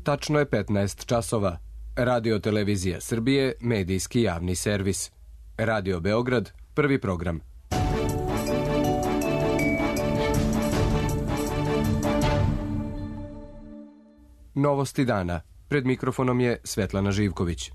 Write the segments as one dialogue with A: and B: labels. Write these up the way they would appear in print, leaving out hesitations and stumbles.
A: Tačno je 15 časova. Radio Televizija Srbije, medijski javni servis. Radio Beograd, prvi program. Novosti dana. Pred mikrofonom je Svetlana Živković.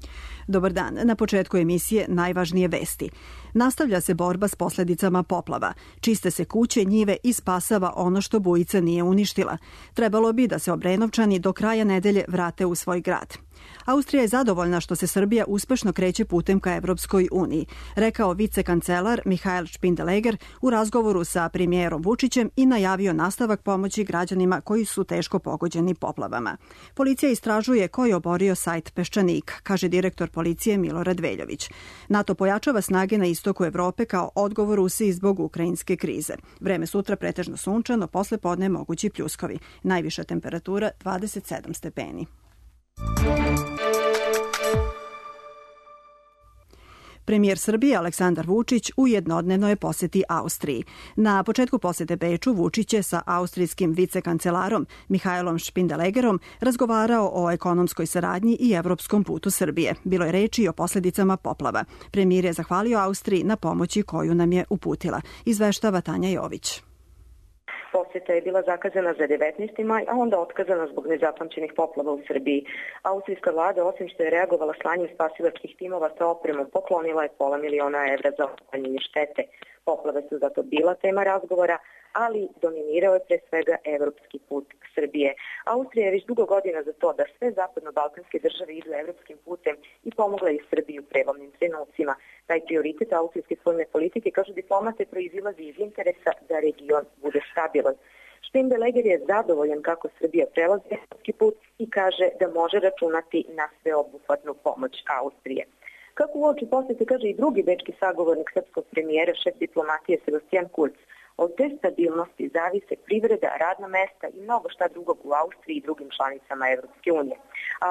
B: Dobar dan. Na početku emisije najvažnije vesti. Nastavlja se borba s posljedicama poplava. Čiste se kuće, njive i spasava ono što bujica nije uništila. Trebalo bi da se Obrenovčani do kraja nedelje vrate u svoj grad. Austrija je zadovoljna što se Srbija uspešno kreće putem ka Evropskoj uniji, rekao vicekancelar Mihael Špindeleger u razgovoru sa premijerom Vučićem i najavio nastavak pomoći građanima koji su teško pogođeni poplavama. Policija istražuje ko je oborio sajt Peščanik, kaže direktor policije Milorad Veljović. NATO pojačava snage na istoku Evrope kao odgovor Rusiji zbog ukrajinske krize. Vreme sutra pretežno sunčano, posle podne mogući pljuskovi. Najviša temperatura 27 stepeni. Premijer Srbije Aleksandar Vučić u jednodnevnoj poseti Austriji. Na početku posete Beču Vučić je sa austrijskim vicekancelarom Mihaelom Špindelegerom razgovarao o ekonomskoj saradnji i evropskom putu Srbije. Bilo je reči i o posljedicama poplava. Premijer je zahvalio Austriji na pomoći koju nam je uputila. Izveštava Tanja Jović.
C: Posjeta je bila zakazana za 19. maj, a onda otkazana zbog nezapamćenih poplava u Srbiji. Austrijska vlada, osim što je reagovala slanjem spasilačkih timova sa opremom, poklonila je $500.000 za otklanjanje štete. Poplave su zato bila tema razgovora, ali dominirao je pre svega evropski put Srbije. Austrija je već dugo godina za to da sve zapadno-balkanske države idu evropskim putem i pomogla je Srbiji u prelomnim trenucima. Taj prioritet austrijske spoljne politike, kažu diplomate, proizilazi iz interesa da region bude stabilan. Špindeleger je zadovoljan kako Srbija prelazi evropski put i kaže da može računati na sveobuhvatnu pomoć Austrije. Kako uoči posete kaže i drugi bečki sagovornik srpskog premijera, šef diplomatije Sebastian Kurz, od te stabilnosti zavise privreda, radna mesta i mnogo šta drugog u Austriji i drugim članicama Evropske unije.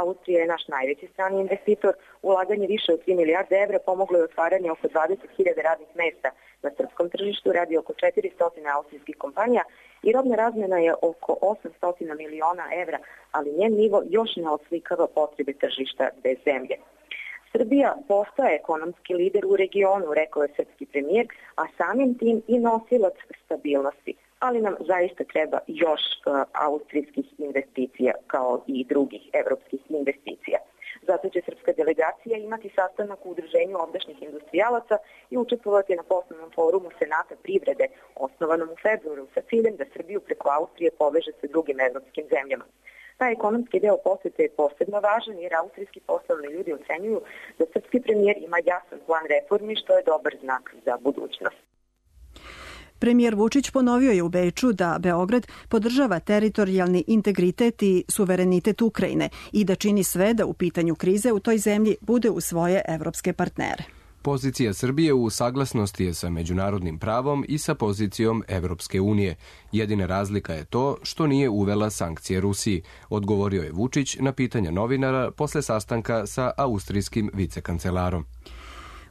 C: Austrija je naš najveći strani investitor. Ulaganje više od 3 milijarde evra pomoglo je otvaranje oko 20.000 radnih mesta na srpskom tržištu, radi oko 400 austrijskih kompanija i robna razmena je oko 800 miliona evra, ali njen nivo još ne oslikava potrebe tržišta bez zemlje. Srbija postaje ekonomski lider u regionu, rekao je srpski premijer, a samim tim i nosilac stabilnosti. Ali nam zaista treba još austrijskih investicija kao i drugih evropskih investicija. Zato će srpska delegacija imati sastanak u udruženju ovdašnjih industrijalaca i učestvovati na poslovnom forumu Senata privrede, osnovanom u februaru, sa ciljem da Srbiju preko Austrije poveže sa drugim evropskim zemljama. Taj ekonomski deo posete je posebno važan jer austrijski poslovni ljudi ocenjuju da srpski premijer ima jasan plan reformi, što je dobar znak za budućnost.
B: Premijer Vučić ponovio je u Beču da Beograd podržava teritorijalni integritet i suverenitet Ukrajine i da čini sve da u pitanju krize u toj zemlji bude u svoje evropske partnere.
A: Pozicija Srbije u saglasnosti je sa međunarodnim pravom i sa pozicijom Evropske unije. Jedina razlika je to što nije uvela sankcije Rusiji, odgovorio je Vučić na pitanja novinara posle sastanka sa austrijskim vicekancelarom.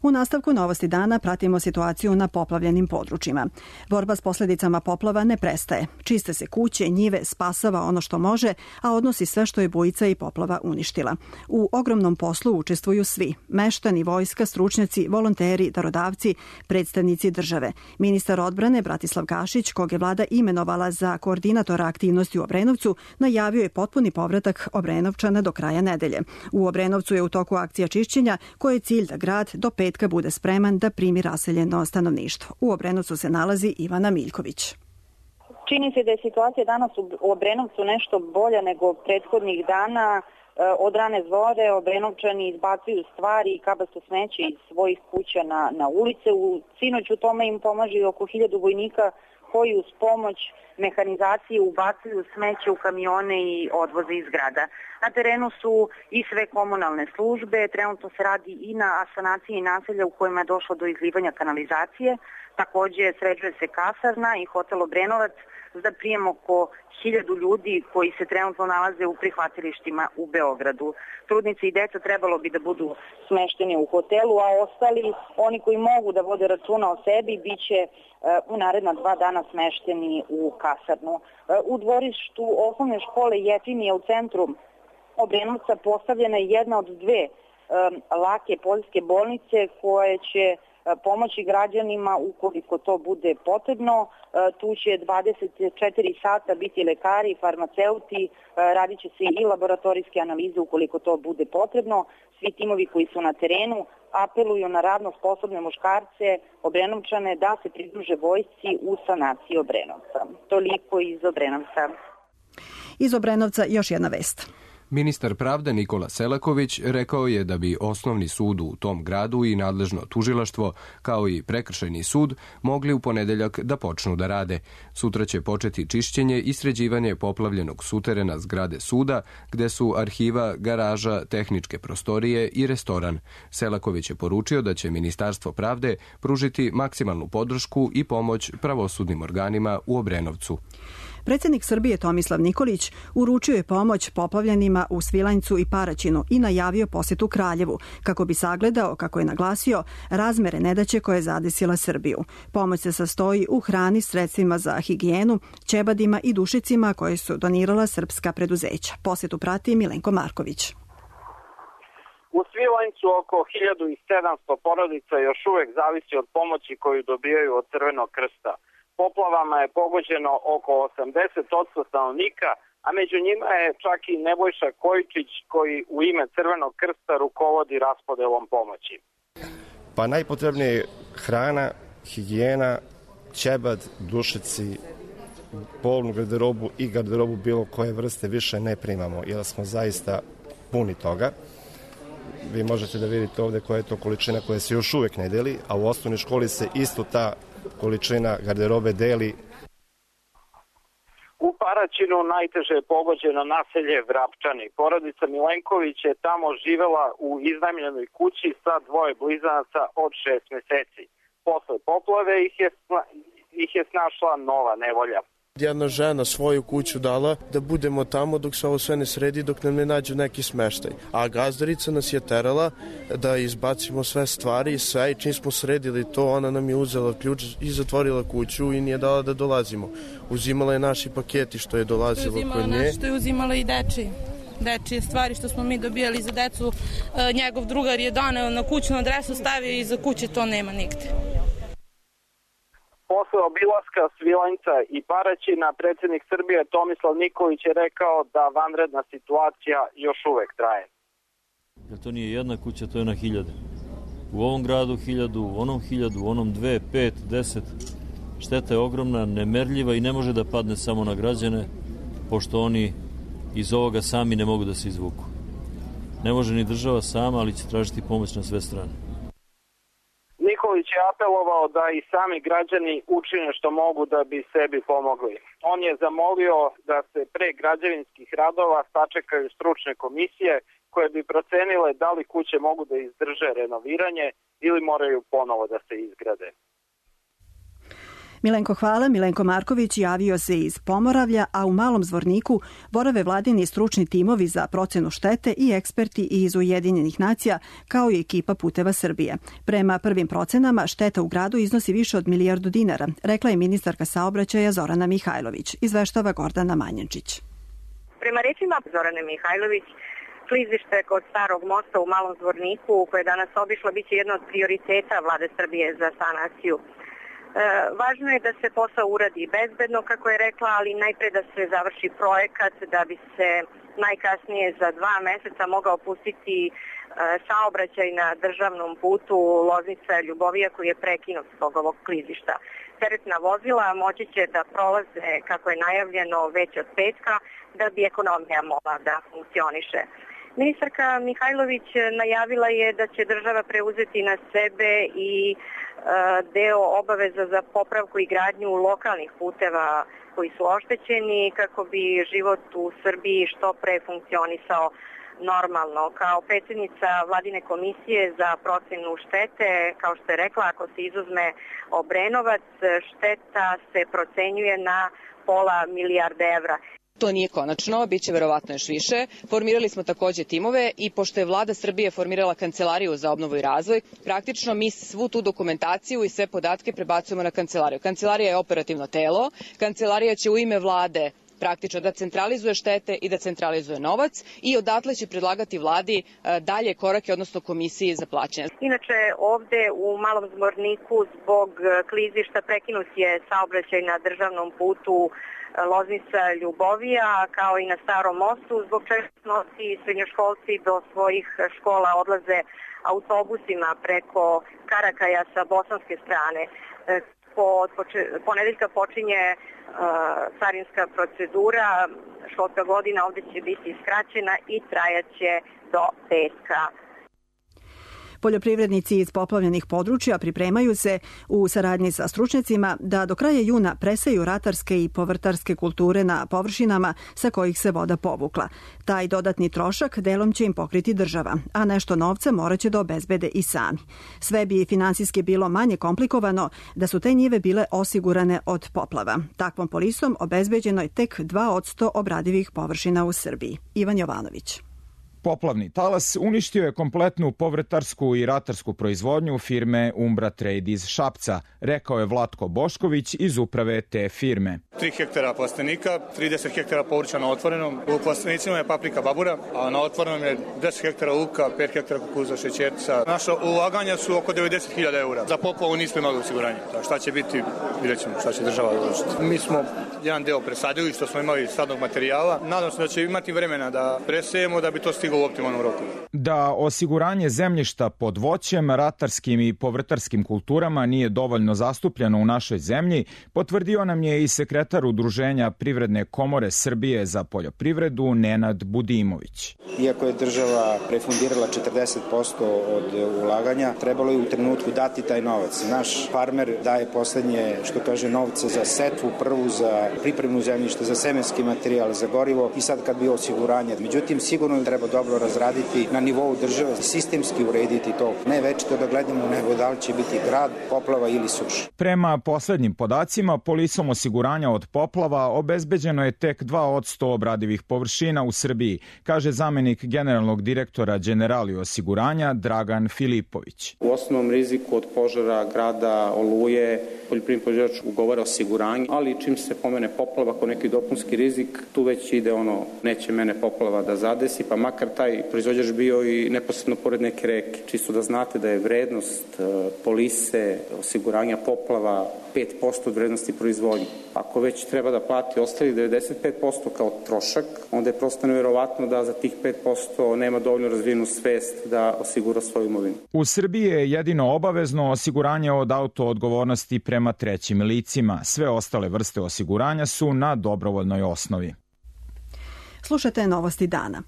B: U nastavku Novosti dana pratimo situaciju na poplavljenim područjima. Borba s posljedicama poplava ne prestaje. Čiste se kuće, njive, spasava ono što može, a odnosi sve što je bujica i poplava uništila. U ogromnom poslu učestvuju svi. Meštani, vojska, stručnjaci, volonteri, darodavci, predstavnici države. Ministar odbrane Bratislav Gašić, kog je vlada imenovala za koordinatora aktivnosti u Obrenovcu, najavio je potpuni povratak Obrenovčana do kraja nedelje. U Obrenovcu je u toku akcija čišćenja, koje je cilj da grad do petka bude spreman da primi raseljeno stanovništvo. U Obrenovcu se nalazi Ivana Miljković.
D: Čini se da je situacija danas u Obrenovcu nešto bolja nego prethodnih dana. Od rane zore Obrenovčani izbacuju stvari i kabasto smeće iz svojih kuća na ulice. Sinoć u tome im pomaže oko 1000 vojnika koji uz pomoć mehanizacije ubacuju smeće u kamione i odvoze iz grada. Na terenu su i sve komunalne službe, trenutno se radi i na asanaciji naselja u kojima je došlo do izlivanja kanalizacije. Takođe sređuje se kasarna i hotel Obrenovac za prijem oko 1000 ljudi koji se trenutno nalaze u prihvatilištima u Beogradu. Trudnice i deca trebalo bi da budu smešteni u hotelu, a ostali, oni koji mogu da vode računa o sebi, bit će u naredna 2 dana smešteni u kasarnu. U dvorištu osnovne škole Jetinije u centru Obrenovca postavljena je jedna od dve lake poljske bolnice koje će pomoći građanima ukoliko to bude potrebno. Tu će 24 sata biti lekari, farmaceuti, radit će se i laboratorijske analize ukoliko to bude potrebno. Svi timovi koji su na terenu apeluju na radno sposobne muškarce, Obrenovčane, da se pridruže vojsci u sanaciji Obrenovca. Toliko iz Obrenovca.
B: Iz Obrenovca još jedna vest.
A: Ministar pravde Nikola Selaković rekao je da bi osnovni sud u tom gradu i nadležno tužilaštvo, kao i prekršajni sud, mogli u ponedeljak da počnu da rade. Sutra će početi čišćenje i sređivanje poplavljenog suterena zgrade suda, gde su arhiva, garaža, tehničke prostorije i restoran. Selaković je poručio da će Ministarstvo pravde pružiti maksimalnu podršku i pomoć pravosudnim organima u Obrenovcu.
B: Predsjednik Srbije Tomislav Nikolić uručio je pomoć poplavljenima u Svilajncu i Paraćinu i najavio posjetu Kraljevu, kako bi sagledao, kako je naglasio, razmere nedaće koje je zadesila Srbiju. Pomoć se sastoji u hrani, sredstvima za higijenu, ćebadima i dušicima koje su donirala srpska preduzeća. Posjetu prati Milenko Marković.
E: U Svilajncu oko 1700 porodica još uvek zavisi od pomoći koju dobijaju od Crvenog krsta. Poplavama je pogođeno oko 80% stanovnika, a među njima je čak i Nebojša Kojičić koji u ime Crvenog krsta rukovodi raspodelom pomoći.
F: Pa najpotrebnije je hrana, higijena, ćebad, dušici, polnu garderobu i garderobu bilo koje vrste više ne primamo, jer smo zaista puni toga. Vi možete da vidite ovde koja je to količina koja se još uvek ne deli, a u osnovnoj školi se isto ta količina garderobe deli.
E: U Paraćinu najteže je pogođeno naselje Vrapčani. Porodica Milenković je tamo živela u iznajmljenoj kući sa dvoje blizanaca od 6 meseci. Posle poplave ih je snašla nova nevolja.
G: Jedna žena svoju kuću dala da budemo tamo dok se ovo sve ne sredi, dok nam ne nađu neki smeštaj. A gazdarica nas je terala da izbacimo sve stvari i sve, i čim smo sredili to, ona nam je uzela ključ i zatvorila kuću i nije dala da dolazimo. Uzimala je naši paketi što je dolazilo kod nje.
H: Što je uzimala i dečije stvari što smo mi dobijali za decu. Njegov drugar je doneo na kućnu adresu, stavio i za kuće, to nema nigde.
E: Posle obilaska Svilajnca i Paraćina, predsjednik Srbije Tomislav Nikolić je rekao da vanredna situacija još uvek traje.
I: Jer to nije jedna kuća, to je na 1000. U ovom gradu 1000, u onom 1000, u onom 2, 5, 10. Šteta je ogromna, nemerljiva i ne može da padne samo na građane, pošto oni iz ovoga sami ne mogu da se izvuku. Ne može ni država sama, ali će tražiti pomoć na sve strane.
E: Nikolić je apelovao da i sami građani učine što mogu da bi sebi pomogli. On je zamolio da se pre građevinskih radova sačekaju stručne komisije koje bi procenile da li kuće mogu da izdrže renoviranje ili moraju ponovo da se izgrade.
B: Milenko, hvala. Milenko Marković javio se iz Pomoravlja, a u Malom Zvorniku borave vladini stručni timovi za procenu štete i eksperti iz Ujedinjenih nacija, kao i ekipa Puteva Srbije. Prema prvim procenama, šteta u gradu iznosi više od $1 milijardu, rekla je ministarka saobraćaja Zorana Mihajlović. Izveštava Gordana Manjančić.
C: Prema rečima Zorane Mihajlović, klizište kod Starog mosta u Malom Zvorniku, koje je danas obišlo, biće jedno od prioriteta vlade Srbije za sanaciju. Važno je da se posao uradi bezbedno, kako je rekla, ali najpre da se završi projekat da bi se najkasnije za 2 meseca mogao pustiti saobraćaj na državnom putu Loznica-Ljubovija koji je prekinut zbog ovog klizišta. Teretna vozila moći će da prolaze, kako je najavljeno, već od petka da bi ekonomija mogla da funkcioniše. Ministarka Mihajlović najavila je da će država preuzeti na sebe i deo obaveza za popravku i gradnju lokalnih puteva koji su oštećeni kako bi život u Srbiji što pre funkcionisao normalno. Kao predsjednica vladine komisije za procenu štete, kao što je rekla, ako se izuzme Obrenovac, šteta se procenjuje na $500 milijarda.
J: To nije konačno, bit će verovatno još više. Formirali smo takođe timove i pošto je vlada Srbije formirala Kancelariju za obnovu i razvoj, praktično mi svu tu dokumentaciju i sve podatke prebacujemo na Kancelariju. Kancelarija je operativno telo, Kancelarija će u ime vlade praktično da centralizuje štete i da centralizuje novac i odatle će predlagati vladi dalje korake, odnosno komisiji za plaćanje.
D: Inače, ovde u Malom Zvorniku zbog klizišta prekinut je saobraćaj na državnom putu Loznica-Ljubovija, kao i na Starom mostu, zbog čega noći srednjoškolci do svojih škola odlaze autobusima preko Karakaja sa bosanske strane. Od ponedeljka počinje carinska procedura, školska godina ovde će biti skraćena i trajaće do petka.
B: Poljoprivrednici iz poplavljenih područja pripremaju se u saradnji sa stručnjacima da do kraja juna preseju ratarske i povrtarske kulture na površinama sa kojih se voda povukla. Taj dodatni trošak delom će im pokriti država, a nešto novca morat će da obezbede i sami. Sve bi finansijski bilo manje komplikovano da su te njive bile osigurane od poplava. Takvom polisom obezbeđeno je tek 2% obradivih površina u Srbiji. Ivan Jovanović.
K: Poplavni talas uništio je kompletnu povrtarsku i ratarsku proizvodnju firme Umbra Trade iz Šapca, rekao je Vlatko Bošković iz uprave te firme.
L: 3 hektara plastenika, 30 hektara povrća na otvorenom. U plastenicima je paprika babura, a na otvorenom je 10 hektara luka, 5 hektara kukuruza, šećerca. Naša ulaganja su oko 90.000 eura. Za poplavu nismo imali osiguranje. Šta će biti, vidjet ćemo šta će država odlučiti. Mi smo jedan deo presadili što smo imali sadnog materijala. Nadam se da će imati vremena da presejemo da bi to stiglo u optimalnom roku.
K: Da osiguranje zemljišta pod voćem, ratarskim i povrtarskim kulturama nije dovoljno zastupljeno u našoj zemlji, potvrdio nam je i sekretar Udruženja Privredne komore Srbije za poljoprivredu Nenad Budimović.
M: Iako je država refundirala 40% od ulaganja, trebalo je u trenutku dati taj novac. Naš farmer daje poslednje, što kaže, novce za setvu, prvu za pripremu zemljišta, za semenski materijal, za gorivo i sad kad bi osiguranje. Međutim, sigurno treba dobro razraditi na nivou države, sistemski urediti to. Ne večito da gledamo nego da li će biti grad, poplava ili suša.
K: Prema poslednjim podacima, polisom osiguranja od poplava obezbeđeno je tek 2% obradivih površina u Srbiji, kaže zamenik generalnog direktora Generali osiguranja Dragan Filipović.
N: U osnovnom riziku od požara, grada, oluje, poljoprivredni proizvođač ugovara osiguranje, ali čim se pomene poplava kao neki dopunski rizik, tu već ide neće mene poplava da zadesi, pa makar taj proizvođač bio i neposredno pored neke reke. Čisto da znate da je vrednost polise, osiguranja poplava 5% od vrednosti proizvodnje. Ako već treba da plati ostali 95% kao trošak, onda je prosto nevjerovatno da za tih 5% nema dovoljno razvijenu svest da osigura svoju imovinu.
K: U Srbiji je jedino obavezno osiguranje od autoodgovornosti prema trećim licima. Sve ostale vrste osiguranja su na dobrovoljnoj osnovi.
B: Slušate Novosti dana.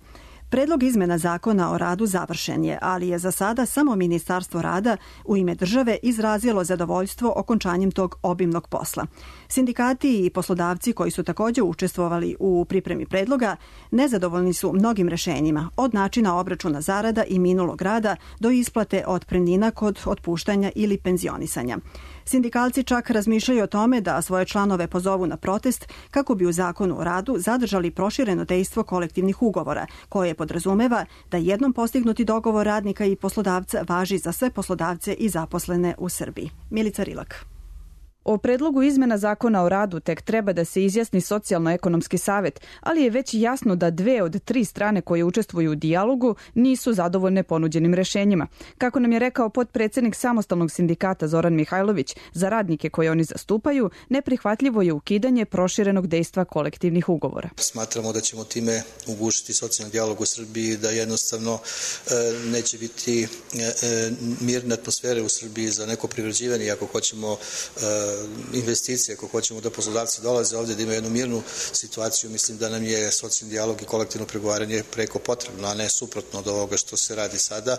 B: Predlog izmena zakona o radu završen je, ali je za sada samo Ministarstvo rada u ime države izrazilo zadovoljstvo okončanjem tog obimnog posla. Sindikati i poslodavci koji su također učestvovali u pripremi predloga nezadovoljni su mnogim rešenjima, od načina obračuna zarada i minulog rada do isplate otpremnina kod otpuštanja ili penzionisanja. Sindikalci čak razmišljaju o tome da svoje članove pozovu na protest kako bi u zakonu o radu zadržali prošireno dejstvo kolektivnih ugovora, koje podrazumeva da jednom postignuti dogovor radnika i poslodavca važi za sve poslodavce i zaposlene u Srbiji. Milica Rilak.
O: O predlogu izmena zakona o radu tek treba da se izjasni Socijalno-ekonomski savet, ali je već jasno da 2 od 3 strane koje učestvuju u dijalogu nisu zadovoljne ponuđenim rešenjima. Kako nam je rekao potpredsednik samostalnog sindikata Zoran Mihajlović, za radnike koje oni zastupaju, neprihvatljivo je ukidanje proširenog dejstva kolektivnih ugovora.
P: Smatramo da ćemo time ugušiti socijalni dijalog u Srbiji, da jednostavno neće biti mirne atmosfere u Srbiji za neko privređivanje, ako hoćemo investicije, ako hoćemo da poslodavci dolaze ovdje, da imaju jednu mirnu situaciju. Mislim da nam je socijalni dijalog i kolektivno pregovaranje preko potrebno, a ne suprotno od ovoga što se radi sada,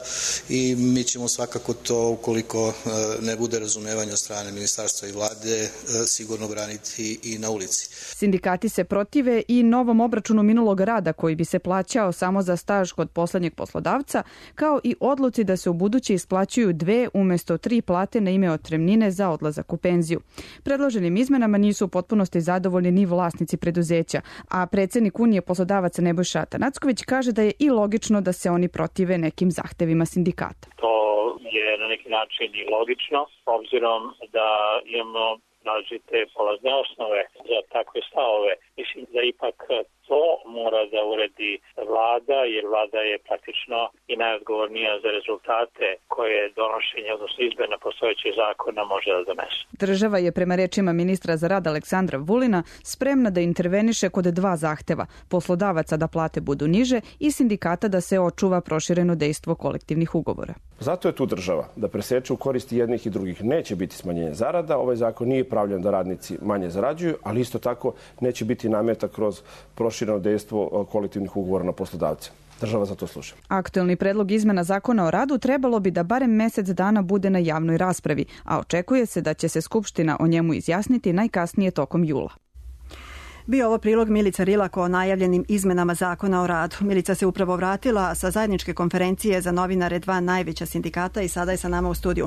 P: i mi ćemo svakako to, ukoliko ne bude razumevanja od strane ministarstva i vlade, sigurno braniti i na ulici.
O: Sindikati se protive i novom obračunu minulog rada koji bi se plaćao samo za staž kod poslednjeg poslodavca, kao i odluci da se u buduće isplaćuju 2 umesto 3 plate na ime otpremnine za odlazak u penziju. Predloženim izmenama nisu u potpunosti zadovoljni ni vlasnici preduzeća, a predsednik Unije poslodavaca Nebojša Atanacković kaže da je i logično da se oni protive nekim zahtevima sindikata.
Q: To je na neki način i logično, obzirom da imamo različite polazne osnove za takve stavove. Mi Mislim da ipak to mora da uredi vlada, jer vlada je praktično i najodgovornija za rezultate koje donošenje, odnosno izmena postojećih zakona može da donese.
O: Država je prema rečima ministra za rad Aleksandra Vulina spremna da interveniše kod dva zahteva, poslodavaca da plate budu niže i sindikata da se očuva prošireno dejstvo kolektivnih ugovora.
R: Zato je tu država da preseče u korist jednih i drugih. Neće biti smanjenje zarada, ovaj zakon nije pravljen da radnici manje zarađuju, ali isto tako neće biti nameta kroz prošireno dejstvo kolektivnih ugovora na poslodavce. Država za to sluša.
O: Aktuelni predlog izmena zakona o radu trebalo bi da barem mesec dana bude na javnoj raspravi, a očekuje se da će se Skupština o njemu izjasniti najkasnije tokom jula.
B: Bio ovo prilog Milica Rilak o najavljenim izmenama zakona o radu. Milica se upravo vratila sa zajedničke konferencije za novinare dva najveća sindikata i sada je sa nama u studiju.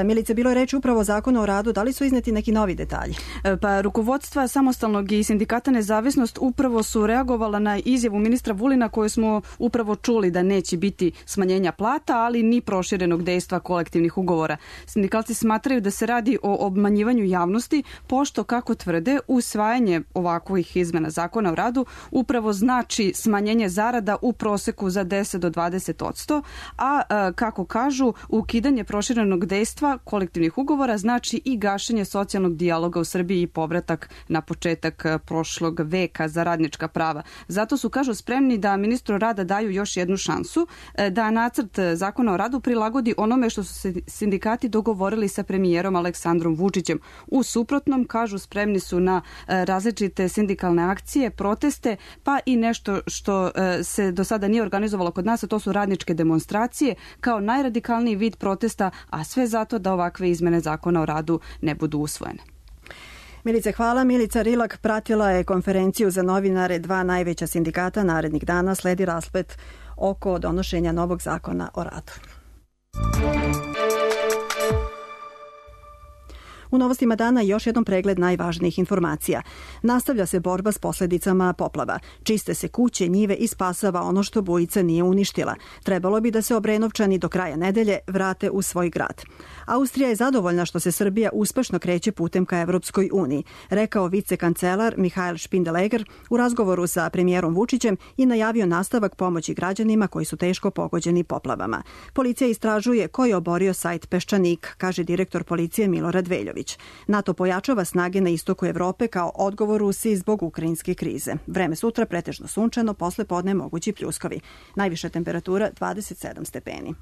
B: Milice, bilo je reći upravo o zakonu o radu. Da li su izneti neki novi detalji?
S: Pa rukovodstva Samostalnog i sindikata Nezavisnost upravo su reagovala na izjavu ministra Vulina koju smo upravo čuli da neće biti smanjenja plata, ali ni proširenog dejstva kolektivnih ugovora. Sindikalci smatraju da se radi o obmanjivanju javnosti, pošto, kako tvrde, usvajanje ovakvih izmena zakona o radu upravo znači smanjenje zarada u proseku za 10 do 20%, a kako kažu, ukidanje proširenog dejstva kolektivnih ugovora znači i gašenje socijalnog dijaloga u Srbiji i povratak na početak prošlog veka za radnička prava. Zato su, kažu, spremni da ministru rada daju još jednu šansu, da nacrt zakona o radu prilagodi onome što su se sindikati dogovorili sa premijerom Aleksandrom Vučićem. U suprotnom, kažu, spremni su na različite sindikalne akcije, proteste, pa i nešto što se do sada nije organizovalo kod nas, a to su radničke demonstracije kao najradikalniji vid protesta, a sve zato da ovakve izmene zakona o radu ne budu usvojene.
B: Milice, hvala. Milica Rilak pratila je konferenciju za novinare dva najveća sindikata. Narednih dana sledi rasplet oko donošenja novog zakona o radu. U novostima dana još jednom pregled najvažnijih informacija. Nastavlja se borba s posljedicama poplava. Čiste se kuće, njive i spasava ono što bujica nije uništila. Trebalo bi da se Obrenovčani do kraja nedelje vrate u svoj grad. Austrija je zadovoljna što se Srbija uspešno kreće putem ka Evropskoj uniji, rekao vicekancelar Mihael Špindeleger u razgovoru sa premijerom Vučićem i najavio nastavak pomoći građanima koji su teško pogođeni poplavama. Policija istražuje ko je oborio sajt Peščanik, kaže direktor policije Milorad Veljović. NATO pojačava snage na istoku Evrope kao odgovor Rusiji zbog ukrajinske krize. Vreme sutra pretežno sunčano, posle podne mogući pljuskovi. Najviša temperatura 27 stepeni.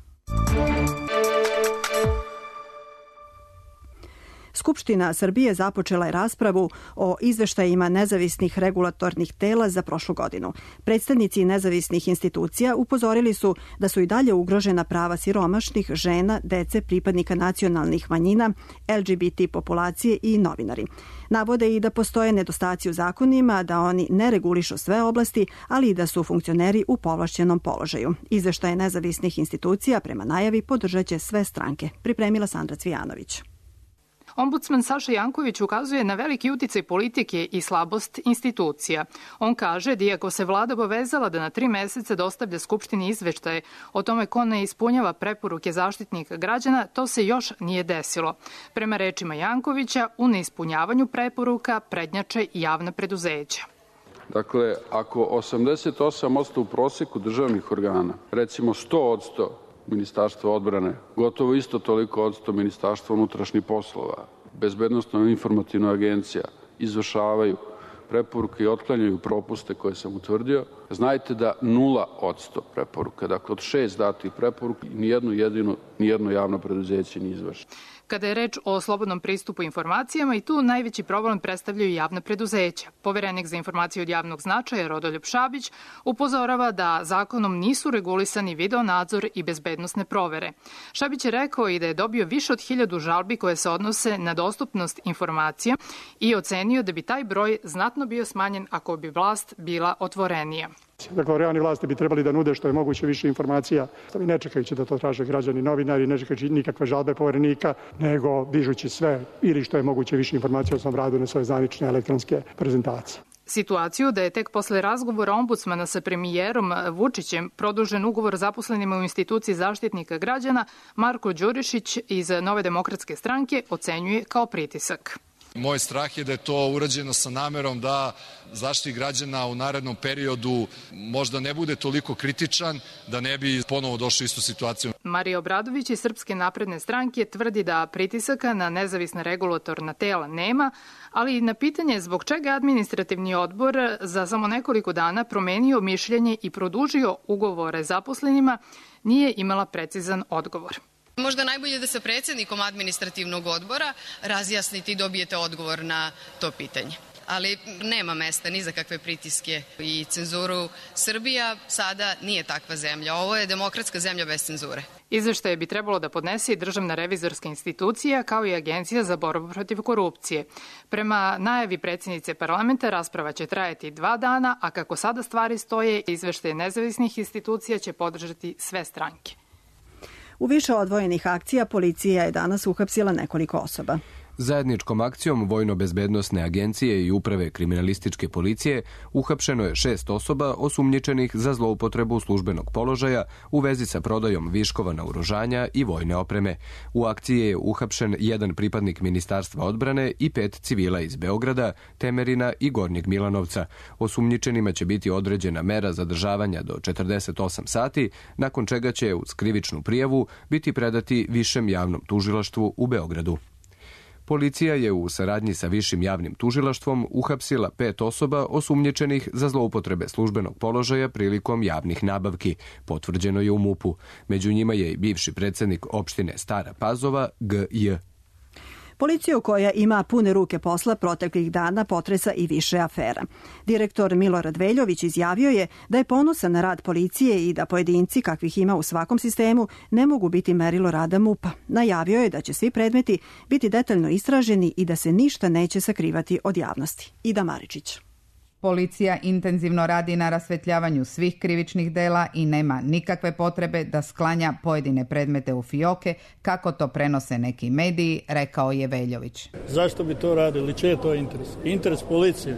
B: Skupština Srbije započela je raspravu o izveštajima nezavisnih regulatornih tela za prošlu godinu. Predstavnici nezavisnih institucija upozorili su da su i dalje ugrožena prava siromašnih, žena, dece, pripadnika nacionalnih manjina, LGBT populacije i novinari. Navode i da postoje nedostaci u zakonima, da oni ne regulišu sve oblasti, ali i da su funkcioneri u povlašćenom položaju. Izveštaje nezavisnih institucija prema najavi podržaće sve stranke. Pripremila Sandra Cvijanović.
T: Ombudsman Saša Janković ukazuje na veliki uticaj politike i slabost institucija. On kaže da iako se vlada obavezala da na 3 meseca dostavlja Skupštini izveštaje o tome ko ne ispunjava preporuke Zaštitnika građana, to se još nije desilo. Prema rečima Jankovića, u neispunjavanju preporuka prednjače javna preduzeća.
U: Dakle, ako 88% u proseku državnih organa, recimo 100% Ministarstva odbrane, gotovo isto toliko odsto Ministarstva unutrašnjih poslova, Bezbednosno-informativna agencija izvršavaju preporuke i otklanjaju propuste koje sam utvrdio, znajte da 0% preporuka, dakle od 6 datih preporuka, nijedno javno preduzeće nije izvršeno.
T: Kada je reč o slobodnom pristupu informacijama, i tu najveći problem predstavljaju javna preduzeća. Poverenik za informacije od javnog značaja Rodoljub Šabić upozorava da zakonom nisu regulisani videonadzor i bezbednosne provere. Šabić je rekao i da je dobio više od 1000 žalbi koje se odnose na dostupnost informacija i ocenio da bi taj broj znatno bio smanjen ako bi vlast bila otvorenija.
V: Dakle, organi vlasti bi trebali da nude što je moguće više informacija, ne čekajući da to traže građani, novinari, ne čekajući nikakve žalbe poverenika, nego dižući sve ili što je moguće više informacija o svom radu na svoje zvanične elektronske prezentacije.
T: Situaciju da je tek posle razgovora ombudsmana sa premijerom Vučićem produžen ugovor zaposlenima u instituciji Zaštitnika građana, Marko Đurišić iz Nove demokratske stranke ocenjuje kao pritisak.
A: Moj strah je da je to urađeno sa namerom da Zaštitnik građana u narednom periodu možda ne bude toliko kritičan, da ne bi ponovo došli u istu situaciju.
T: Marija Obradović iz Srpske napredne stranke tvrdi da pritisaka na nezavisna regulatorna tela nema, ali i na pitanje zbog čega administrativni odbor za samo nekoliko dana promenio mišljenje i produžio ugovore zaposlenima nije imala precizan odgovor.
F: Možda najbolje da sa predsjednikom administrativnog odbora razjasnite i dobijete odgovor na to pitanje. Ali nema mesta ni za kakve pritiske i cenzuru. Srbija sada nije takva zemlja. Ovo je demokratska zemlja bez cenzure.
T: Izveštaje bi trebalo da podnese i Državna revizorska institucija kao i Agencija za borbu protiv korupcije. Prema najavi predsjednice parlamenta rasprava će trajati 2 dana, a kako sada stvari stoje, izveštaje nezavisnih institucija će podržati sve stranke.
B: U više odvojenih akcija policija je danas uhapsila nekoliko osoba.
W: Zajedničkom akcijom Vojno-bezbednosne agencije i Uprave kriminalističke policije uhapšeno je 6 osoba osumnjičenih za zloupotrebu službenog položaja u vezi sa prodajom viškova naoružanja i vojne opreme. U akciji je uhapšen 1 pripadnik Ministarstva odbrane i 5 civila iz Beograda, Temerina i Gornjeg Milanovca. Osumnjičenima će biti određena mera zadržavanja do 48 sati, nakon čega će uz krivičnu prijavu biti predati Višem javnom tužilaštvu u Beogradu. Policija je u saradnji sa Višim javnim tužilaštvom uhapsila 5 osoba osumnjičenih za zloupotrebe službenog položaja prilikom javnih nabavki, potvrđeno je u MUP-u. Među njima je i bivši predsjednik opštine Stara Pazova, G.J.
B: Policiju koja ima pune ruke posla proteklih dana potresa i više afera. Direktor Milorad Veljović izjavio je da je ponosan na rad policije i da pojedinci, kakvih ima u svakom sistemu, ne mogu biti merilo rada MUP-a. Najavio je da će svi predmeti biti detaljno istraženi i da se ništa neće sakrivati od javnosti. Ida Maričić.
X: Policija intenzivno radi na rasvetljavanju svih krivičnih dela i nema nikakve potrebe da sklanja pojedine predmete u fioke, kako to prenose neki mediji, rekao je Veljović.
Y: Zašto bi to radili? Čiji je to interes? Interes policije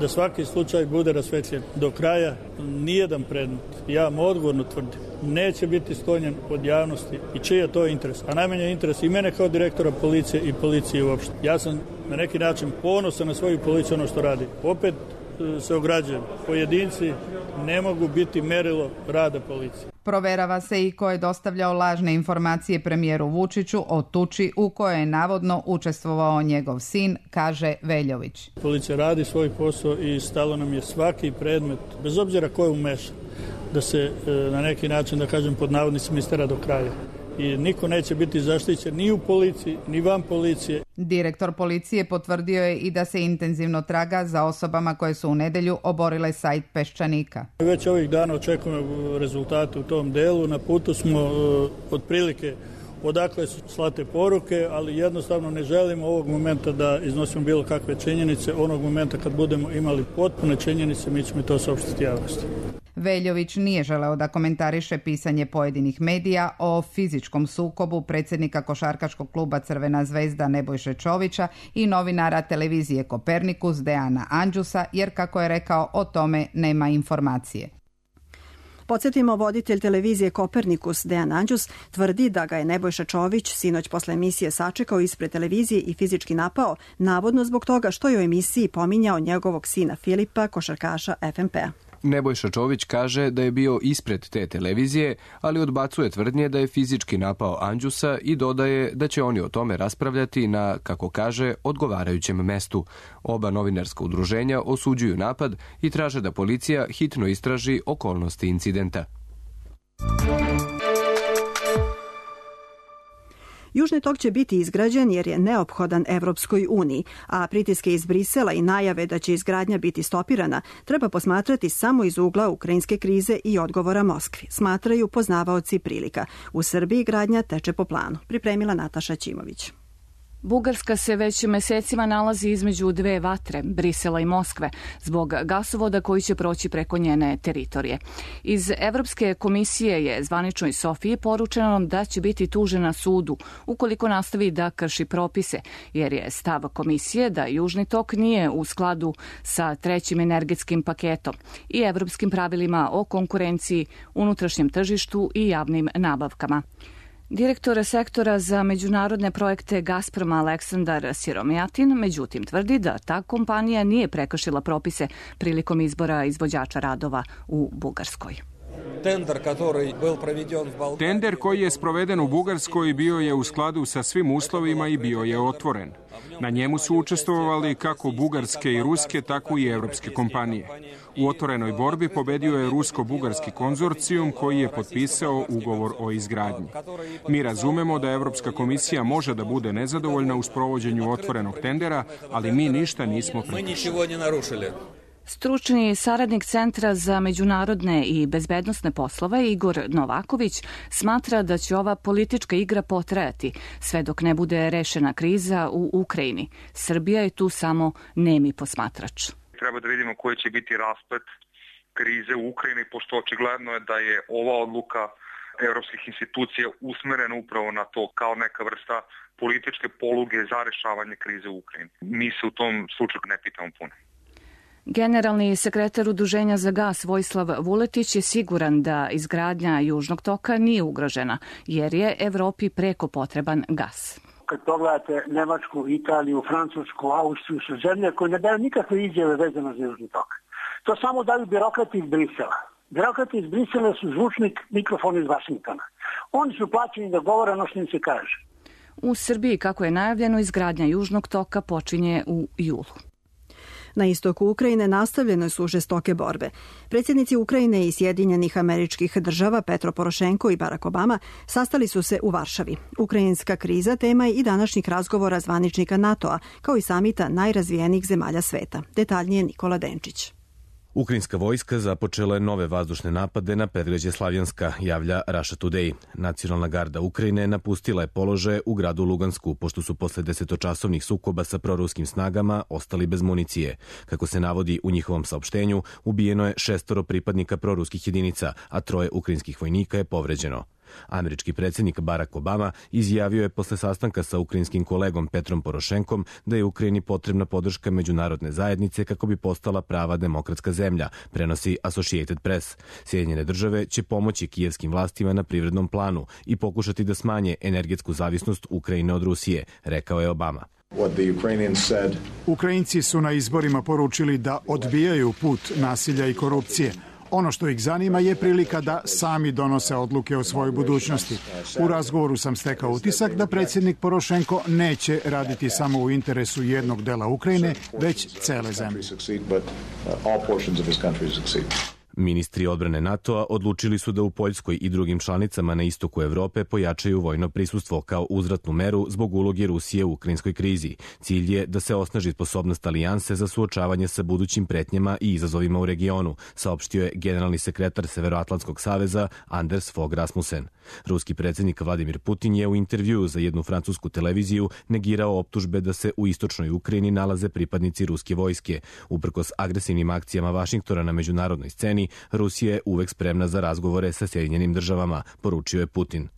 Y: da svaki slučaj bude rasvetljen do kraja. Nijedan predmet, ja vam odgovorno tvrdim, neće biti sklonjen od javnosti. I čiji je to interes? A najmanje interes i mene kao direktora policije i policije uopšte. Ja sam na neki način ponosan na svoju policiju, ono što radi. Opet se ograđujem. Pojedinci ne mogu biti merilo rada policije.
X: Proverava se i ko je dostavljao lažne informacije premijeru Vučiću o tuči u kojoj je navodno učestvovao njegov sin, kaže Veljović.
Y: Policija radi svoj posao i stalo nam je svaki predmet, bez obzira ko je umešan, da se na neki način, da kažem pod navodnicima, istera do kraja. I niko neće biti zaštićen ni u policiji, ni van policije.
X: Direktor policije potvrdio je i da se intenzivno traga za osobama koje su u nedelju oborile sajt Peščanika.
Y: Već ovih dana očekujemo rezultate u tom delu. Na putu smo otprilike odakle su slate poruke, ali jednostavno ne želimo ovog momenta da iznosimo bilo kakve činjenice. Onog momenta kad budemo imali potpune činjenice, mi ćemo to saopštiti javnosti.
X: Veljović nije želeo da komentariše pisanje pojedinih medija o fizičkom sukobu predsjednika košarkaškog kluba Crvena zvezda Nebojše Čovića i novinara televizije Kopernikus Dejana Andžusa, jer, kako je rekao, o tome nema informacije.
B: Podsjetimo, voditelj televizije Kopernikus Dejan Andžus tvrdi da ga je Nebojša Čović sinoć posle emisije sačekao ispred televizije i fizički napao, navodno zbog toga što je u emisiji pominjao njegovog sina Filipa, košarkaša FNP-a.
W: Nebojša Čović kaže da je bio ispred te televizije, ali odbacuje tvrdnje da je fizički napao Andžusa i dodaje da će oni o tome raspravljati na, kako kaže, odgovarajućem mestu. Oba novinarska udruženja osuđuju napad i traže da policija hitno istraži okolnosti incidenta.
B: Južni tok će biti izgrađen jer je neophodan Evropskoj uniji, a pritiske iz Brisela i najave da će izgradnja biti stopirana treba posmatrati samo iz ugla ukrajinske krize i odgovora Moskvi, smatraju poznavaoci prilika. U Srbiji gradnja teče po planu. Pripremila Nataša Ćimović.
Z: Bugarska se već mesecima nalazi između dve vatre, Brisela i Moskve, zbog gasovoda koji će proći preko njene teritorije. Iz Evropske komisije je zvaničnoj Sofiji poručeno da će biti tužena sudu ukoliko nastavi da krši propise, jer je stav komisije da Južni tok nije u skladu sa trećim energetskim paketom i evropskim pravilima o konkurenciji, unutrašnjem tržištu i javnim nabavkama. Direktor sektora za međunarodne projekte Gazproma Aleksandar Siromijatin, međutim, tvrdi da ta kompanija nije prekršila propise prilikom izbora izvođača radova u Bugarskoj.
C: Tender koji je sproveden u Bugarskoj bio je u skladu sa svim uslovima i bio je otvoren. Na njemu su učestvovali kako bugarske i ruske, tako i evropske kompanije. U otvorenoj borbi pobedio je rusko-bugarski konzorcijum koji je potpisao ugovor o izgradnji. Mi razumemo da Evropska komisija može da bude nezadovoljna u sprovođenju otvorenog tendera, ali mi ništa nismo prekršili.
Z: Stručni saradnik Centra za međunarodne i bezbednosne poslove Igor Novaković smatra da će ova politička igra potrajati sve dok ne bude rešena kriza u Ukrajini. Srbija je tu samo nemi posmatrač.
E: Treba da vidimo koji će biti rasplet krize u Ukrajini, pošto očigledno je da je ova odluka evropskih institucija usmerena upravo na to kao neka vrsta političke poluge za rešavanje krize u Ukrajini. Mi se u tom slučaju ne pitamo puno.
Z: Generalni sekretar Udruženja za gas Vojislav Vuletić je siguran da izgradnja Južnog toka nije ugrožena, jer je Evropi preko potreban gas.
G: Kad pogledate Nemačku, Italiju, Francusku, Austriju, su zemlje koje ne daju nikakve izjave vezano za Južni tok. To samo daju birokrati iz Brisela. Birokrati iz Brisela su zvučnik, mikrofon iz Vašingtona. Oni su plaćeni da govore ono što im se kaže.
Z: U Srbiji, kako je najavljeno, izgradnja Južnog toka počinje u julu.
B: Na istoku Ukrajine nastavljene su žestoke borbe. Predsjednici Ukrajine i Sjedinjenih Američkih Država Petro Porošenko i Barack Obama sastali su se u Varšavi. Ukrajinska kriza tema je i današnjih razgovora zvaničnika NATO-a, kao i samita najrazvijenijih zemalja sveta. Detaljnije Nikola Denčić.
H: Ukrajinska vojska započela je nove vazdušne napade na predgrađe Slavjanska, javlja Russia Today. Nacionalna garda Ukrajine napustila je položaje u gradu Lugansku, pošto su posle 10-časovnih sukoba sa proruskim snagama ostali bez municije. Kako se navodi u njihovom saopštenju, ubijeno je 6 pripadnika proruskih jedinica, a 3 ukrajinskih vojnika je povređeno. Američki predsjednik Barack Obama izjavio je posle sastanka sa ukrajinskim kolegom Petrom Porošenkom da je Ukrajini potrebna podrška međunarodne zajednice kako bi postala prava demokratska zemlja, prenosi Associated Press. Sjedinjene države će pomoći kijevskim vlastima na privrednom planu i pokušati da smanje energetsku zavisnost Ukrajine od Rusije, rekao je Obama.
I: Ukrajinci su na izborima poručili da odbijaju put nasilja i korupcije. Ono što ih zanima je prilika da sami donose odluke o svojoj budućnosti. U razgovoru sam stekao utisak da predsjednik Porošenko neće raditi samo u interesu jednog dela Ukrajine, već cele zemlje.
H: Ministri odbrane NATO-a odlučili su da u Poljskoj i drugim članicama na istoku Evrope pojačaju vojno prisustvo kao uzvratnu meru zbog uloge Rusije u ukrajinskoj krizi. Cilj je da se osnaži sposobnost alijanse za suočavanje sa budućim pretnjama i izazovima u regionu, saopštio je generalni sekretar Severoatlantskog saveza Anders Fogh Rasmussen. Ruski predsjednik Vladimir Putin je u intervjuu za jednu francusku televiziju negirao optužbe da se u istočnoj Ukrajini nalaze pripadnici ruske vojske. Uprkos agresivnim akcijama Vašingtona na međunarodnoj sceni, Rusija je uvek spremna za razgovore sa Sjedinjenim državama, poručio je Putin.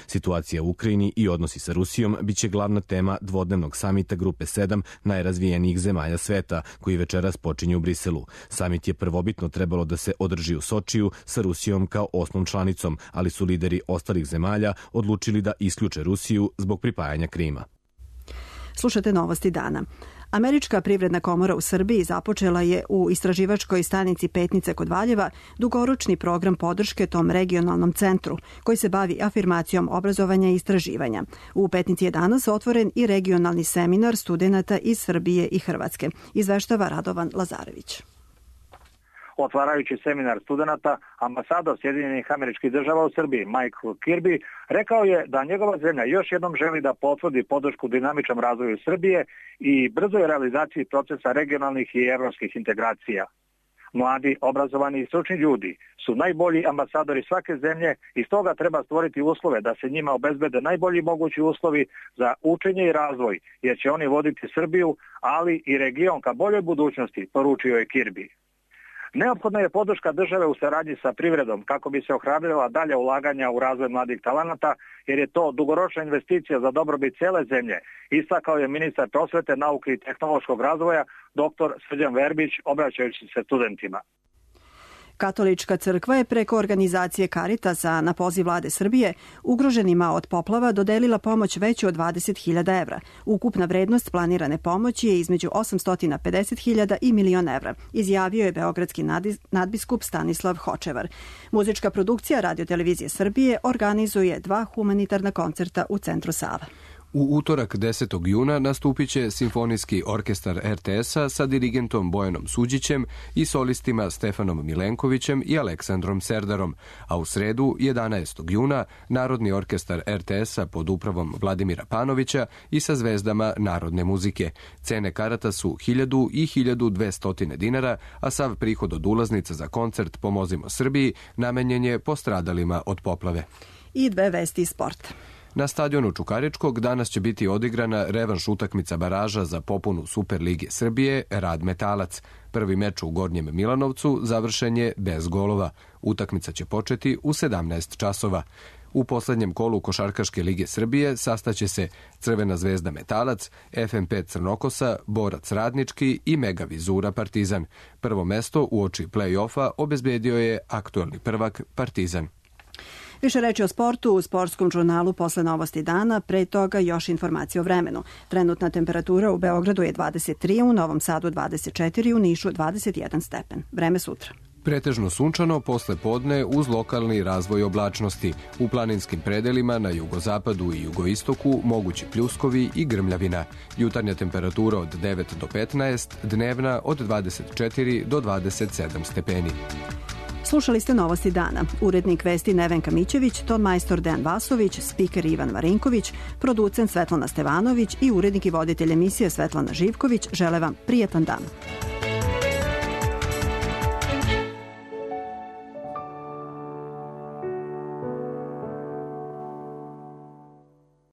H: Situacija u Ukrajini i odnosi sa Rusijom biće glavna tema dvodnevnog samita Grupe 7 najrazvijenijih zemalja sveta, koji večeras počinje u Briselu. Samit je prvobitno trebalo da se održi u Sočiju sa Rusijom kao 8. članicom, ali su lideri ostalih zemalja odlučili da isključe Rusiju zbog pripajanja Krima.
B: Slušate novosti dana. Američka privredna komora u Srbiji započela je u istraživačkoj stanici Petnice kod Valjeva dugoročni program podrške tom regionalnom centru koji se bavi afirmacijom obrazovanja i istraživanja. U Petnici je danas otvoren i regionalni seminar studenata iz Srbije i Hrvatske. Izveštava Radovan Lazarević.
J: Otvarajući seminar studenata, ambasador Sjedinjenih Američkih Država u Srbiji, Michael Kirby, rekao je da njegova zemlja još jednom želi da potvrdi podršku dinamičnom razvoju Srbije i brzoj realizaciji procesa regionalnih i evropskih integracija. Mladi, obrazovani i stručni ljudi su najbolji ambasadori svake zemlje i stoga treba stvoriti uslove da se njima obezbede najbolji mogući uslovi za učenje i razvoj, jer će oni voditi Srbiju, ali i region ka boljoj budućnosti, poručio je Kirby. Neophodna je podrška države u saradnji sa privredom kako bi se ohrabrila dalja ulaganja u razvoj mladih talenata, jer je to dugoročna investicija za dobrobit cele zemlje, istakao je ministar prosvete, nauke i tehnološkog razvoja dr. Srđan Verbić, obraćajući se studentima.
B: Katolička crkva je preko organizacije Caritasa na poziv vlade Srbije ugroženima od poplava dodelila pomoć veću od 20.000 evra. Ukupna vrednost planirane pomoći je između 850.000 i 1.000.000 evra, izjavio je beogradski nadbiskup Stanislav Hočevar. Muzička produkcija Radio-televizije Srbije organizuje 2 humanitarna koncerta u centru Sava.
W: U utorak 10. juna nastupit će Simfonijski orkestar RTS-a sa dirigentom Bojanom Suđićem i solistima Stefanom Milenkovićem i Aleksandrom Serdarom, a u sredu 11. juna Narodni orkestar RTS-a pod upravom Vladimira Panovića i sa zvezdama narodne muzike. Cene karata su 1.000 i 1.200 dinara, a sav prihod od ulaznica za koncert Pomozimo Srbiji namenjen je postradalima od poplave.
B: I 2 vesti iz sporta.
W: Na stadionu Čukaričkog danas će biti odigrana revanš utakmica baraža za popunu Superlige Srbije Rad Metalac. Prvi meč u Gornjem Milanovcu završen je bez golova. Utakmica će početi u 17 časova. U poslednjem kolu Košarkaške lige Srbije sastaće se Crvena zvezda Metalac, FNP Crnokosa, Borac Radnički i Mega Vizura Partizan. Prvo mesto uoči play-offa obezbedio je aktuelni prvak Partizan.
B: Više reči o sportu u sportskom žurnalu posle novosti dana, pre toga još informacije o vremenu. Trenutna temperatura u Beogradu je 23, u Novom Sadu 24, u Nišu 21 stepen. Vreme sutra.
W: Pretežno sunčano posle podne uz lokalni razvoj oblačnosti. U planinskim predelima na jugozapadu i jugoistoku mogući pljuskovi i grmljavina. Jutarnja temperatura od 9 do 15, dnevna od 24 do 27 stepeni.
B: Slušali ste novosti dana. Urednik vesti Nevenka Mićević, ton majstor Dejan Vasović, spiker Ivan Marinković, producent Svetlana Stevanović i urednik i voditelj emisije Svetlana Živković žele vam prijatan dan.